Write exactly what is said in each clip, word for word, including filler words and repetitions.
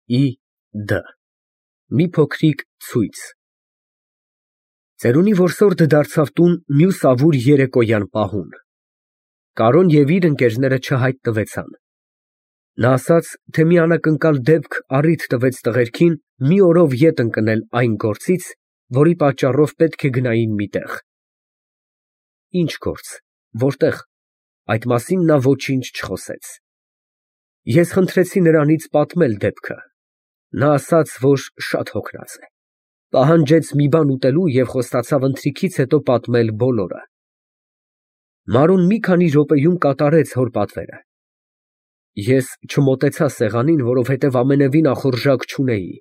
ի դը Մի փոքրիկ ցույց Ծերունի որսորդը դարձավ տուն մյուս ավուր երեկոյան պահուն։ Կարոն և իր ընկերները չհայտնվեցան։ Նա ասաց, թե մի անակնկալ դեպք առիթ տվեց տղերքին մի օրով ետ ընկնել այն գործից, որի պատճառով պետք է գնային մի տեղ։ Ինչ գործ, որտեղ, այդ մասին նա ոչինչ չխոսեց։ Ես խնդրեցի նրանից պատմել դեպքը։ Նա ասաց, որ շատ հոգնած է, պահանջեց մի բան ուտելու և խոստացավ ընթրիքից հետո պատմել բոլորը։ Մարուն մի քանի րոպեում կատարեց հոր պատվերը։ Ես չմոտեցա սեղանին, որովհետև ամենևին ախորժակ չունեի։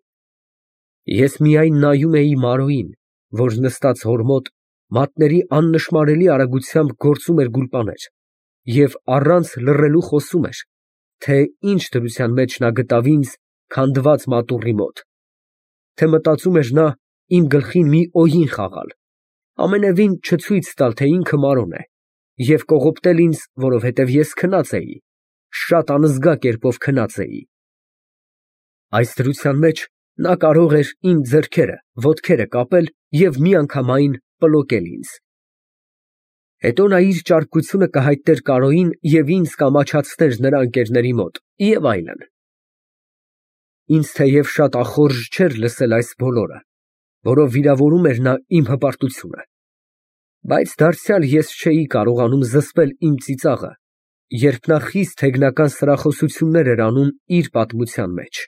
Ես միայն նայում էի Մարոյին, որ նստած հոր մոտ, մատների աննշմարելի արագությամբ գործում էր գուլպաներ և առանց լռելու խոսում էր, թե ինչ դրության մեջ նա գտավ ինձ քանդված մատուռի մոտ, թե մտածում էր նա իմ գլխին մի օյին խաղալ, ամենևին չցույց տալ, թե ինքը Մարոն է, և կողոպտել ինձ, որովհետև ես քնած էի, շատ անզգա կերպով քնած էի։ Այս դրության մեջ նա կարող էր իմ ձեռքերը, ոտքերը կապել և միանգամայն պլոկել ինձ։ Հետո նա իր ճարպկությունը կհայտներ Կարոյին և ինձ կամաչացներ նրա ընկերների մոտ և այլն։ Ինձ թեև շատ ախորժ չէր լսել այս բոլորը, որով վիրավորում էր նա իմ հպարտությունը, բայց դարձյալ ես չէի կարողանում զսպել իմ ծիծաղը, երբ նա խիստ հեգնական սրախոսություններ էր անում իր պատմության մեջ։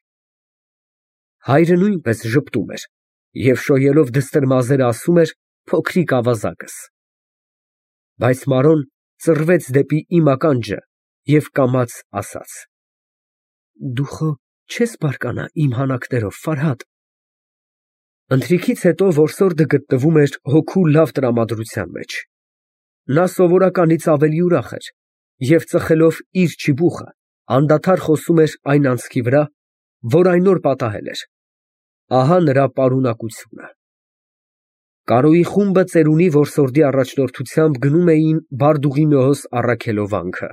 Հայրը նույնպես ժպտում էր և շոյելով դստեր֊մազերը ասում էր փոքրիկ ավազակս։ Բայց Մարոն ծռվեց դեպի իմ ականջը և կամաց ասաց. «Դու խո չես բարկանա իմ հանակներով, Ֆարհադ»։ Ընթրիքից հետո որսորդը գտնվում էր հոգու լավ տրամադրության մեջ։ Նա սովորականից ավելի ուրախ էր և ծխելով իր չիբուխը, անդադար խոսում էր այն անցքի վրա, որ այն օր պատահել էր։ Ահա նրա պարունակությունը։ Կարոյի խումբը ծերունի որսորդի առաջնորդությամբ գնում էին Բարդուղի Մյոհոս առաքելով վանքը,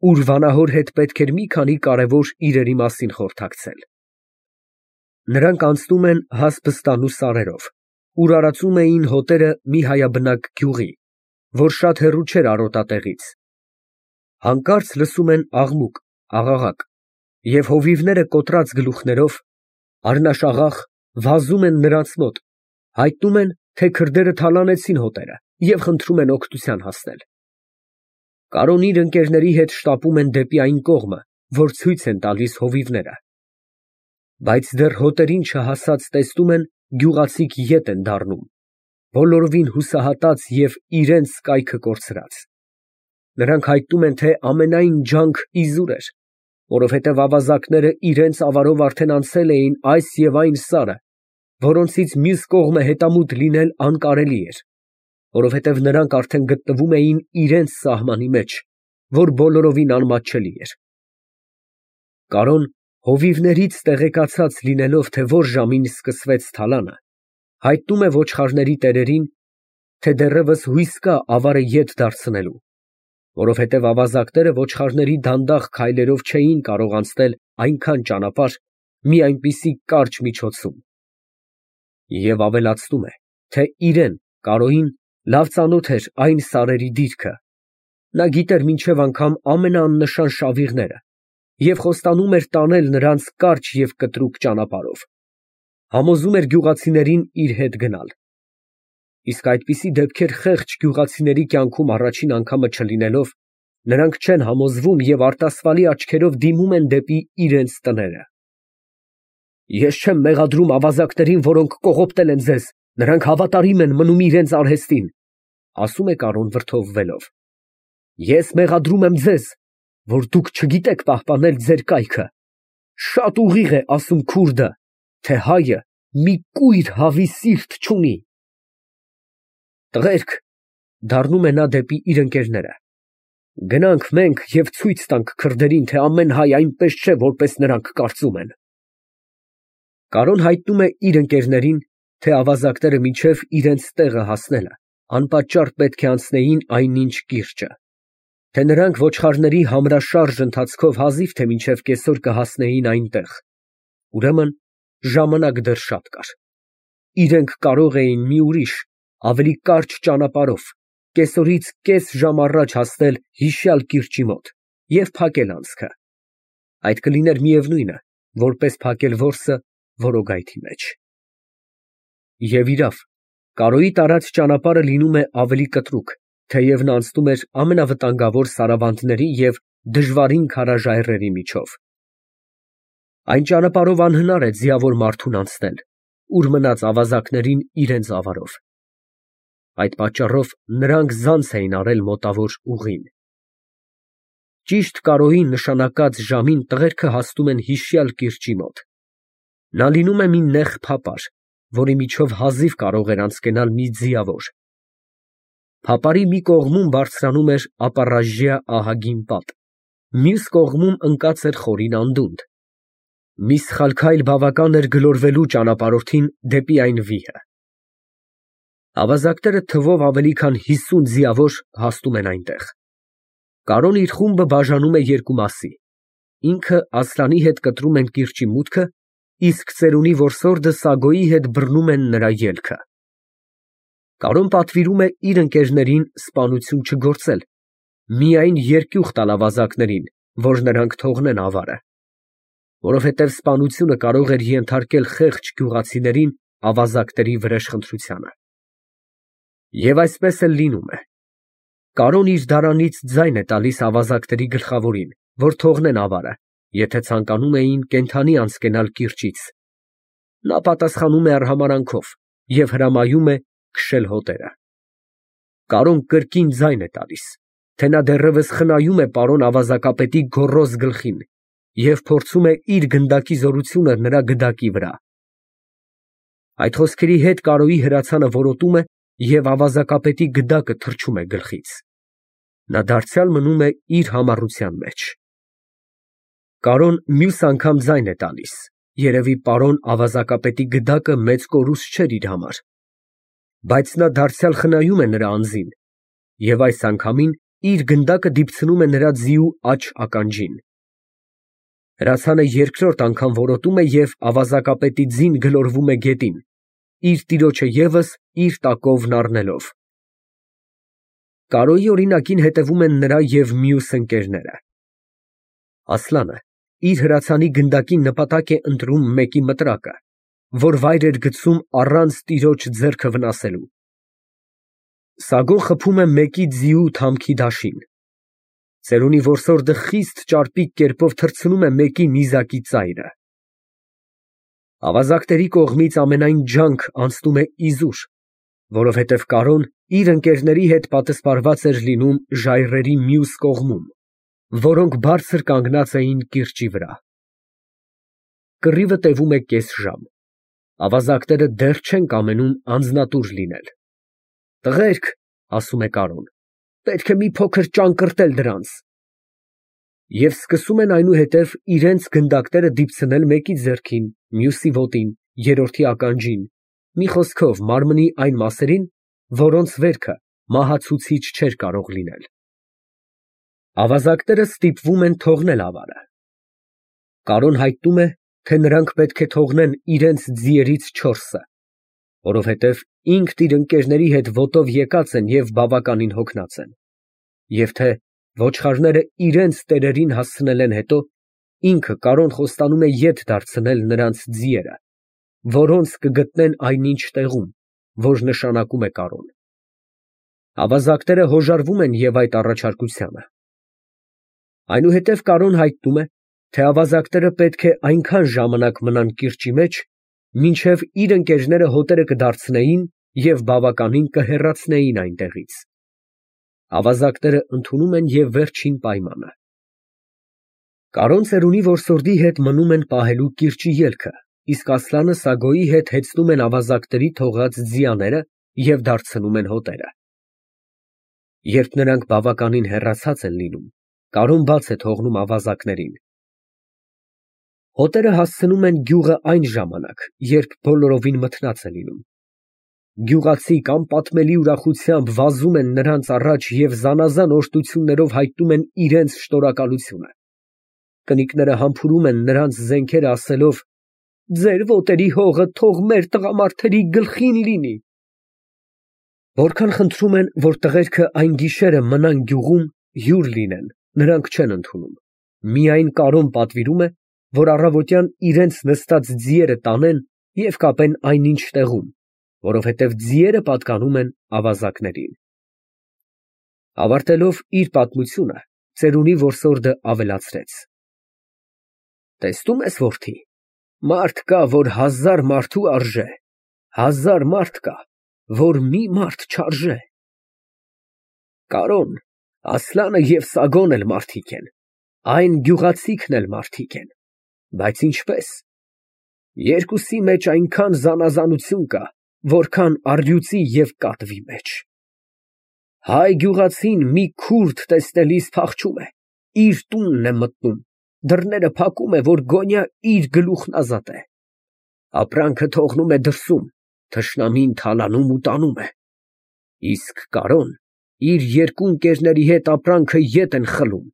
ուր վանահոր հետ պետք էր մի քանի կարևոր իրերի մասին խորհրդակցել։ Նրանք անցնում են Հասպստանու սարերով, ուր արածում էին հոտերը մի հայաբնակ գյուղի, որ շատ հեռու չէր արոտատեղից։ Հանկարծ լսում են աղմուկ, աղաղակ, և հովիվները կոտրած գլուխներով, արնաշաղախ վազում են նրանց մոտ, հայտնում են, թե քրդերը թալանեցին հոտերը և խնդրում են օգնության հասնել։ Կարոն իր ընկերների հետ շտապում են դեպի այն կողմը, որ ցույց են տալիս հովիվները։ Բայց դեռ հոտերին չհասած տեսնում են գյուղացիք ետ են դառնում, բոլորովին հուսահատած և իրանց կայքը կորցրած։ Նրանք հայտնում են, թե ամենայն ջանք իզուր էր, որովհետև ավազակները իրանց ավարով արդեն անցել էին այս և այն սարը, որոնցից մյուս կողմը հետամուտ լինել անկարելի էր, որովհետև նրանք արդեն գտնվում էին իրանց սահմանի մեջ, որ բոլորովին անմատչելի էր։ Կարոն, հովիվներից տեղեկացած լինելով, թե որ ժամին սկսվեց թալանը, հայտնում է ոչխարների տերերին, թե դեռևս հույս կա ավարը ետ դարձնելու, որովհետև ավազակները ոչխարների դանդաղ քայլերով չէին կարող անցնել այնքան ճանապարհ մի այնպիսի կարճ միջոցում։ Եվ ավելացնում է, թե իրան, Կարոյին, լավ ծանոթ էր այն սարերի դիրքը, նա գիտեր մինչև անգամ ամենաաննշան շավիղները և խոստանում էր տանել նրանց կարճ և կտրուկ ճանապարհով, համոզում էր գյուղացիներին իր հետ գնալ։ Իսկ այդպիսի դեպքեր խեղճ գյուղացիների կյանքում առաջին անգամը չլինելով, նրանք չեն համոզվում և արտասվալի աչքերով դիմում են դեպի իրենց տները։ Ես չեմ մեղադրում ավազակներին, որոնք կողոպտել են ձեզ, նրանք հավատարիմ են մնում իրենց արհեստին, ասում է Կարոն վրդովվելով։ Ես մեղադրում եմ ձեզ, որ դուք չգիտեք պահպանել ձեր կայքը։ Շատ ուղիղ է ասում քուրդը, թե հայը մի կույր հավի սիրտ չունի։ Տղերք, դառնում է նա դեպի իր ընկերները, գնանք մենք և ցույց տանք քրդերին, թե ամեն հայ այնպես չէ, որպես նրանք կարծում են։ Կարոն հայտնում է իր ընկերներին, թե ավազակները մինչև իրենց տեղը հասնելը անպատճառ պետք է անցնեին այնինչ կիրճը, թե նրանք ոչխարների համրաշարժ ընթացքով հազիվ թե մինչև կեսօր կհասնեին այնտեղ, Ուրեմն ժամանակ դեռ շատ կար։ Իրենք կարող էին մի ուրիշ, ավելի կարճ ճանապարհով կեսօրից կես ժամ առաջ հասնել հիշյալ կիրճի մոտ և փակել անցքը. այդ կլիներ միևնույնը, որպես փակել որսը որոգայթի մեջ։ Եվ իրավ, Կարոյի տարած ճանապարհը լինում է ավելի կտրուկ, թեև նա անցնում էր ամենավտանգավոր սարավանդների և դժվարին քարաժայռերի միջով։ Այն ճանապարհով անհնար է ձիավոր մարդուն անցնել, ուր մնաց ավազակներին իրենց ավարով։ Այդ պատճառով նրանք ձանց էին արել մոտավոր ուղին։ Ճիշտ Կարոյին նշանակած ժամին տղերքը հասնում են հիշյալ կիրճի մոտ։ Նա լինում է մի նեղ փապար, որի միջով հազիվ կարող էր անցկենալ մի ձիավոր։ Փապարի մի կողմում բարձրանում էր ապառաժյա ահագին պատ, մյուս կողմում ընկած էր խորին անդունդ։ Մի սխալ քայլ բավական էր գլորվելու ճանապարհորդին դեպի այն վիհը։ Ավազակները թվով ավելի քան հիսուն ձիավոր հասնում են այնտեղ։ Կարոն իր խումբը բաժանում է երկու մասի, ինքը Ասլանի հետ կտրում են կիրճի մուտքը, իսկ ծերունի որսորդը Սագոյի հետ բռնում են նրա ելքը։ Կարոն պատվիրում է իր ընկերներին սպանություն չգործել, միայն երկյուղ տալ ավազակներին, որ նրանք թողնեն ավարը, որովհետև սպանությունը կարող էր ենթարկել խեղճ գյուղացիներին ավազակների վրեժխնդրությանը։ Եվ այսպես էլ լինում է։ Կարոն իր դարանից ձայն է տալիս ավազակների գլխավորին, որ թողնեն ավարը, եթե ցանկանում էին կենդանի անցկենալ կիրճից։ Նա պատասխանում է արհամարհանքով և հրամայում է քշել հոտերը։ Կարոն կրկին ձայն է տալիս, թե նա դեռևս խնայում է պարոն ավազակապետի գոռոզ գլխին և փորձում է իր գնդակի զորությունը նրա գդակի վրա։ Այդ խոսքերի հետ Կարոյի հրացանը որոտում է և ավազակապետի գդակը թռչում է գլխից։ Նա դարձյալ մնում է իր համառության մեջ։ Կարոն մյուս անգամ ձայն է տալիս, երևի պարոն ավազակապետի գդակը մեծ կորուստ չէր իր համար, բայց նա դարձյալ խնայում է նրա անձին և այս անգամին իր գնդակը դիպցնում է նրա ձիու աջ ականջին։ Հրացանը երկրորդ անգամ որոտում է և ավազակապետի ձին գլորվում է գետին, իր տիրոջը ևս իր տակովն առնելով։ Կարոյի օրինակին հետևում են նրա և մյուս ընկերները։ Ասլանը իր հրացանի գնդակին նպատակ է ընտրում մեկի մտրակը, որ վայր էր գցում առանց տիրոջ ձեռքը վնասելու։ Սագոն խփում է մեկի ձիու թամքի դաշին։ Ծերունի որսորդը խիստ ճարպիկ կերպով թռցնում է մեկի նիզակի ծայրը։ Ավազակների կողմից ամենայն ջանք անցնում է իզուր, որովհետև Կարոն իր ընկերների հետ պատսպարված էր լինում ժայռերի մյուս կողմում, որոնք բարձր կանգնած էին կիրճի վրա։ Կռիվը տևում է կես ժամ։ Ավազակները դեռ չեն կամենում անձնատուր լինել։ Տղերք, ասում է Կարոն, պետք է մի փոքր ճանկռտել դրանց։ Եվ սկսում են այնուհետև իրենց գնդակները դիպցնել մեկի ձեռքին, մյուսի ոտին, երրորդի ականջին, մի խոսքով մարմնի այն մասերին, որոնց վերքը մահացուցիչ չէր կարող լինել։ Ավազակները ստիպվում են թողնել ավարը։ Կարոն հայտնում է, թե նրանք պետք է թողնեն իրենց ձիերից չորսը, որովհետև ինքն իր ընկերների հետ ոտով եկած են և բավականին հոգնած են, և թե ոչխարները իրենց տերերին հասցնել են հետո, ինքը Կարոն խոստանում է ետ դարձնել նրանց ձիերը, որոնց կգտնեն այնինչ տեղում, որ նշանակում է Կարոն։ Ավազակները հոժարվում են և այդ առաջարկությանը։ Այնուհետև Կարոն հայտնում է, թե ավազակները պետք է այնքան ժամանակ մնան կիրճի մեջ, մինչև իր ընկերները հոտերը կդարձնեին և բավականին կհեռացնեին այնտեղից։ Ավազակները ընդունում են և վերջին պայմանը։ Կարոն ծերունի որսորդի հետ մնում են պահելու կիրճի ելքը, իսկ Ասլանը Սագոյի հետ հեծնում են ավազակների թողած ձիաները և դարձնում են հոտերը։ Երբ նրանք բավականին հեռացած են լինում, Կարոն բաց է թողնում ավազակներին։ Հոտերը հասցնում են գյուղը այն ժամանակ, երբ բոլորովին մթնած է լինում։ Գյուղացիք անպատմելի ուրախությամբ վազում են նրանց առաջ և զանազան օրհնություններով հայտնում են իրենց շնորհակալությունը։ Կնիկները համբուրում են նրանց զենքերը ասելով. ձեր ոտերի հողը թող մեր տղամարդերի գլխին լինի։ Որքան խնդրում են, որ տղերքը այն գիշերը մնան գյուղում, հյուր լինեն, նրանք չեն ընդունում, միայն Կարոն պատվիրում է, որ առավոտյան իրենց նստած ձիերը տանեն և կապեն այնինչ տեղում, որովհետև ձիերը պատկանում են ավազակներին։ Ավարտելով իր պատմությունը, ծերունի որսորդը ավելացրեց. Տեսնում ես, որդի, մարդ կա, որ հազար մարդու արժե, հազար մարդ կա, որ մի մարդ չարժե։ Կարոն, Ասլանը և Սագոն էլ մարդիկ են, այն գյուղացիքն էլ մարդիկ են, բայց ինչպես։ Երկուսի մեջ այնքան զանազանություն կա, որքան առյուծի և կատվի մեջ։ Հայ գյուղացին մի քուրդ տեսնելիս փախչում է, իր տունն է մտնում, դռները փակում է, որ գոնյա իր գլուխն ազատե։ Ապրանքը թողնում է դրսում, թշնամին թալանում ու տանում է։ Իսկ Կարոն իր երկու ընկերների հետ ապրանքը ետ են խլում,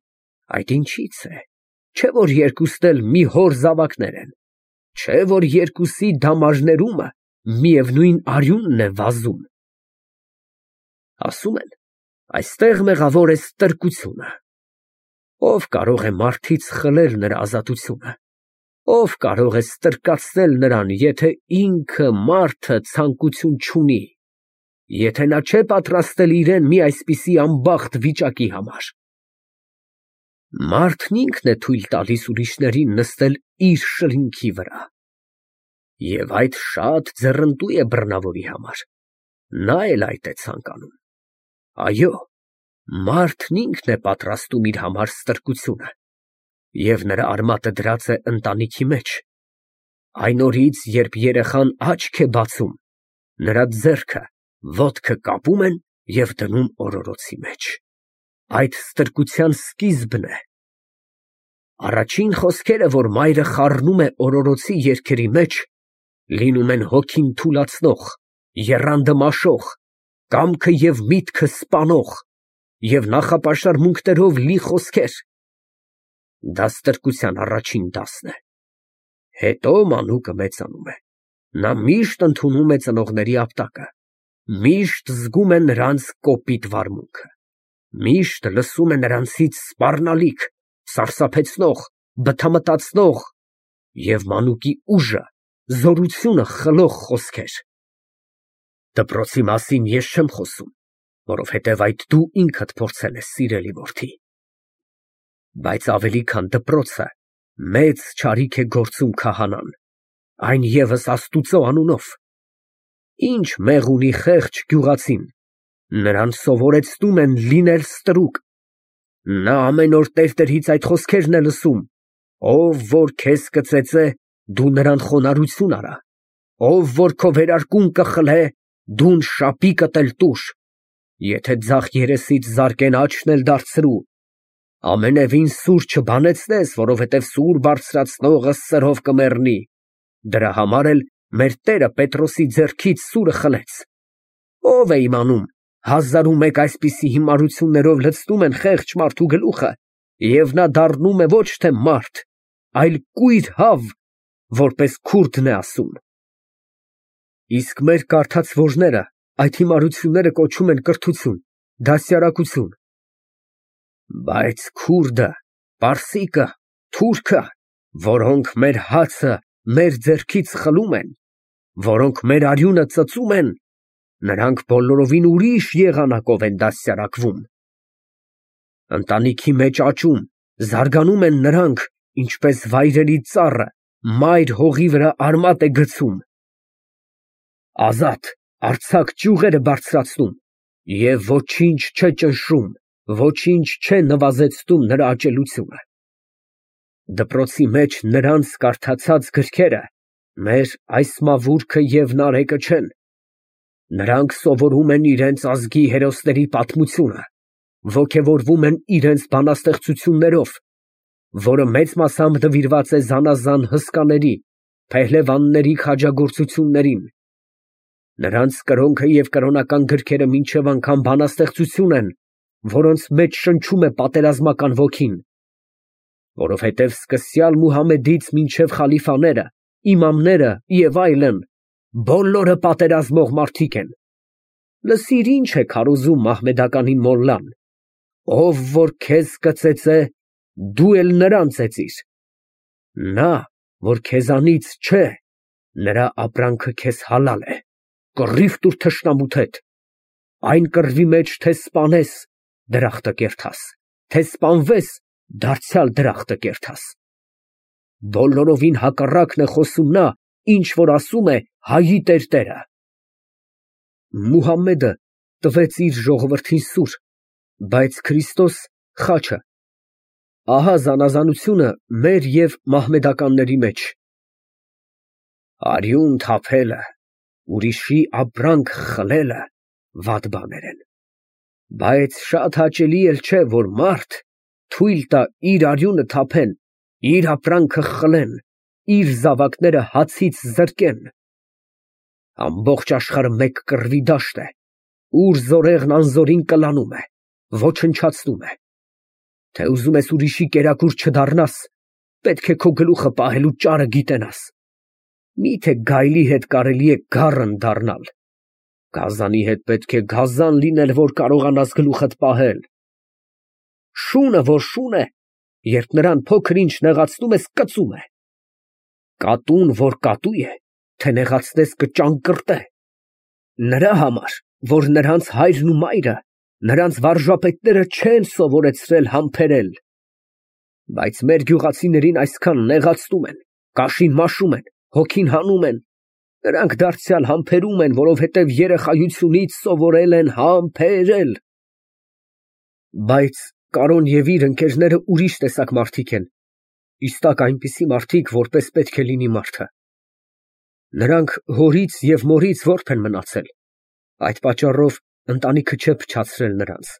այդ ինչից է, չէ՞ որ երկուսն էլ մի հոր զավակներ են, չէ՞ որ երկուսի դամաժներումը միևնույն արյունն է վազում։ Ասում են, այստեղ մեղավոր է ստրկությունը։ Ով կարող է մարդից խլել նրա ազատությունը, ով կարող է ստրկացնել նրան, եթե ինքը մարդը ցանկություն չունի, եթե նա չէ պատրաստել իրան մի այսպիսի անբախտ վիճակի համար։ Մարդն ինքն է թույլ տալիս ուրիշներին նստել իր շրինքի վրա։ Եվ այդ շատ ձեռնտու է բռնավորի համար, նա էլ այդ է ցանկանում։ Այո, մարդն ինքն է պատրաստում իր համար ստրկությունը, և նրա արմատը դրած է ընտանիքի մեջ։ Այն օրից, երբ երեխան աչք է բացում, նրա ձեռքը, ոտքը կապում են և դնում օրորոցի մեջ։ Այդ ստրկության սկիզբն է։ Առաջին խոսքերը, որ մայրը խառնում է օրորոցի երգերի մեջ, լինում են հոգին թուլացնող, եռանդը մաշող, կամքը և միտքը սպանող և նախապաշարմունքներով լի խոսքեր։ Դա ստրկության առաջին դասն է։ Հետո մանուկը մեծանում է, նա միշտ ընդունում է ծնողների ապտակը, միշտ զգում է նրանց կոպիտ վարմունքը, միշտ լսում է նրանցից սպառնալիք, սարսափեցնող, բթամտացնող և մանուկի ուժը, զորությունը խլող խոսքեր։ Դպրոցի մասին ես չեմ խոսում, որովհետև այդ դու ինքդ փորձել ես, սիրելի որդի։ Բայց ավելի քան դպրոցը, մեծ չարիք է գործում քահանան, այն ևս Աստուծո անունով։ Ինչ մեղ ունի խեղճ գյուղացին, նրան սովորեցնում են լինել ստրուկ։ Նա ամեն օր տերտերից այդ խոսքերն է լսում. ով որ քեզ կծեծե, դու նրան խոնարհություն արա, ով որ քո վերարկուն կխլե, դուն շապիկդ էլ տուր, եթե ձախ երեսից զարկեն աչքն էլ դարձրու, ամենևին սուր չբանեցնես, որովհետև սուր բարձրացնողը սրով կմեռնի, դրա համար էլ մեր Տերը Պետրոսի ձեռքից սուրը խլեց։ Ո՞վ է իմանում, հազար ու մեկ այսպիսի հիմարություններով լցնում են խեղճ մարդու գլուխը, և նա դառնում է ոչ թե մարդ, այլ կույր հավ, որպես քուրդն է ասում։ Իսկ մեր կարդաց ոժները այդ հիմարությունները կոչում են կրթություն, դասյարակություն։ Բայց քուրդը, պարսիկը, թուրքը, որոնք մեր հացը մեր ձեռքից խլում են, որոնք մեր արյունը ծծում են, նրանք բոլորովին ուրիշ եղանակով են դաստիարակվում։ Ընտանիքի մեջ աճում, զարգանում են նրանք, ինչպես վայրերի ծառը մայր հողի վրա արմատ է գցում, ազատ, արձակ ճյուղեր է բարձրացնում և ոչինչ չէ ճնշում, ոչինչ չէ նվազեցնում նրա աճելությունը։ Դպրոցի մեջ նրանց կարդացած գրքերը մեր այս մավուրքը և նարեկը չեն։ Նրանք սովորում են իրենց ազգի հերոսների պատմությունը, ոգևորվում են իրենց բանաստեղծություններով, որը մեծ մասամբ նվիրված է զանազան հսկաների, փեհլևանների քաջագործություններին։ Նրանց կրոնքը և կրոնական գրքերը մինչև անգամ բանաստեղծություն են, որոնց մեջ շնչում է պատերազմական ոգին, որովհետև սկսյալ Մուհամեդից մինչև խալիֆաները իմամները և այլն, բոլորը պատերազմող մարդիկ են։ Լսիր, ինչ է քարոզում մահմեդականի մոլլան. ով որ քեզ կծեծե, դու էլ նրան ծեծիր. նա, որ քեզանից չէ, նրա ապրանքը քեզ հալալ է, կռիվ տուր թշնամուդ հետ, այն կռվի մեջ թե սպանես, դրախտը կերթաս, թե սպանվես, դարձյալ դրախտը կերթաս։ Բոլորովին հակառակն է խոսում նա, ինչ որ ասում է հայի տերտերը։ Մուհամմեդը տվեց իր ժողովրդին սուր, բայց Քրիստոս խաչը։ Ահա զանազանությունը մեր և մահմեդականների մեջ։ Արյուն թափելը, ուրիշի ապրանք խլելը վատ բաներ են, բայց շատ հաճելի էլ չէ, որ մարդ թույլ տա իր արյունը թափեն, իր ապրանքը խլեն, իր զավակները հացից զրկեն։ Ամբողջ աշխարհը մեկ կռվի դաշտ է, ուր զորեղն անզորին կլանում է, ոչնչացնում է։ Թե ուզում ես ուրիշի կերակուր չդառնաս, պետք է քո գլուխը պահելու ճարը գիտենաս։ Միթե գայլի հետ կարելի է գառն դառնալ, գազանի հետ պետք է գազան լինել, որ կարողանաս գլուխդ պահել։ Շունը, որ շուն է, երբ նրան փոքր ինչ նեղացնում ես, կծում է։ Կատուն, որ կատու է, թե նեղացնես կճանկռտե։ Նրա համար, որ նրանց հայրն ու մայրը, նրանց վարժապետները չեն սովորեցրել համբերել։ Բայց մեր գյուղացիներին այսքան նեղացնում են, կաշին մաշում են, հոգին հանում են, նրանք դարձյալ համբերում են, որովհետև երեխայությունից սովորել են համբերել։ Բայց Կարոն և իր ընկերները ուրիշ տեսակ մարդիկ են, իստակ այնպիսի մարդիկ, որպես պետք է լինի մարդը։ Նրանք հորից և մորից որբ են մնացել, այդ պատճառով ընտանիքը չէ փչացրել նրանց։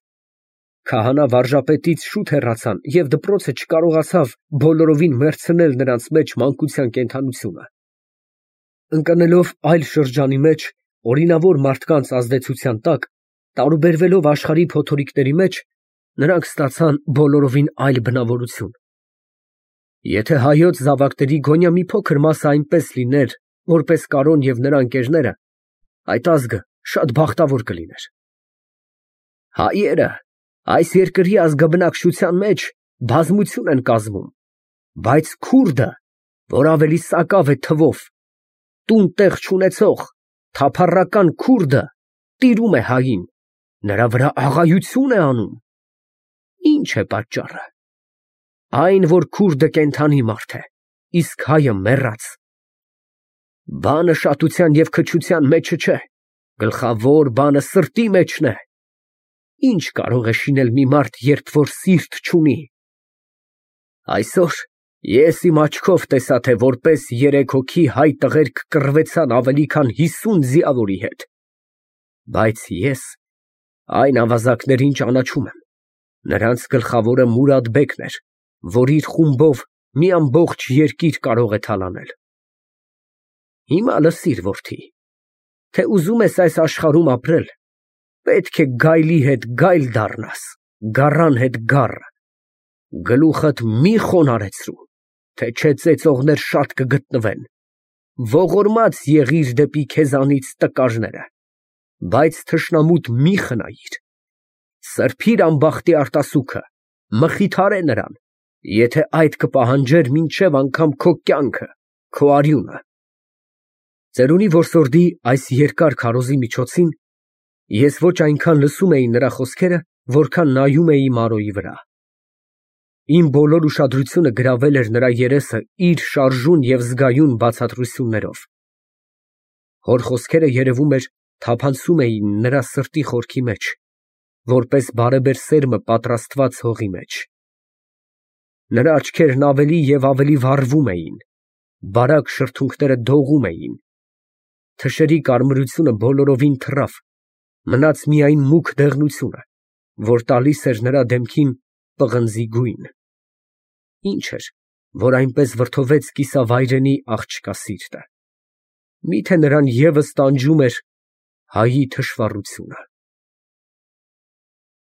Քահանա վարժապետից շուտ հեռացան և դպրոցը չկարողացավ բոլորովին մեռցնել նրանց մեջ մանկության կենդանությունը։ Ընկնելով այլ շրջանի մեջ, օրինավոր մարդկանց ազդեցության տակ, տարուբերվելով աշխարհի փոթորիկների մեջ, նրանք ստացան բոլորովին այլ բնավորություն։ Եթե հայոց զավակների գոնյա մի փոքր մասը այնպես լիներ, որպես Կարոն և նրա ընկերները, այդ ազգը շատ բախտավոր կլիներ։ Հայերը այս երկրի ազգաբնակչության մեջ բազմություն են կազմում, բայց քուրդը, որ ավելի սակավ է թվով, տուն տեղ չունեցող, թափառական քուրդը տիրում է հային, նրա վրա աղայություն է անում։ Ինչ է պատճառը։ Այն, որ քուրդը կենդանի մարդ է, իսկ հայը մեռած։ Բանը շատության և քչության մեջը չէ, գլխավոր բանը սրտի մեջն է։ Ինչ կարող է շինել մի մարդ, երբ որ սիրտ չունի։ Այսօր ես իմ աչքով տեսա, թե որպես երեք հոգի հայ տղերք կռվեցան ավելի քան հիսուն ձիավորի հետ։ Բայց ես այն ավազակներին ճանաչում եմ, նրանց գլխավորը Մուրադ բեկն էր, որ իր խումբով մի ամբողջ երկիր կարող է թալանել։ Հիմա լսիր, որդի, թե ուզում ես այս աշխարհում ապրել, պետք է գայլի հետ գայլ դառնաս, գառան հետ գառ, գլուխդ մի խոնարհեցրու, թե չէ ծեծողներ շատ կգտնվեն, ողորմած եղիր դեպի քեզանից տկարները, բայց թշնամուդ մի խնայիր, սրբիր ամբախտի արտասուքը, մխիթարե նրան, եթե այդ կպահանջեր մինչև անգամ քո կյանքը, քո արյունը։ Ծերունի որսորդի այս երկար քարոզի միջոցին ես ոչ այնքան լսում էի նրա խոսքերը, որքան նայում էի Մարոյի վրա։ Իմ բոլոր ուշադրությունը գրավել էր նրա երեսը իր շարժուն և զգայուն բացատրություններով։ Հոր խոսքերը երևում էր թափանցում էին նրա սրտի խորքի մեջ, որպես բարեբեր սերմը պատրաստված հողի մեջ։ Նրա աչքերն ավելի և ավելի վառվում էին, բարակ շրթունքները դողում էին։ Թշերի կարմրությունը բոլորովին թռավ, մնաց միայն մուգ դեղնությունը, որ տալիս էր նրա դեմքին պղնձի գույն։ Ինչ էր, որ այնպես վրդովեց կիսավայրենի աղջկա սիրտը։ Միթե նրան ևս տանջում էր հայի թշվառությունը։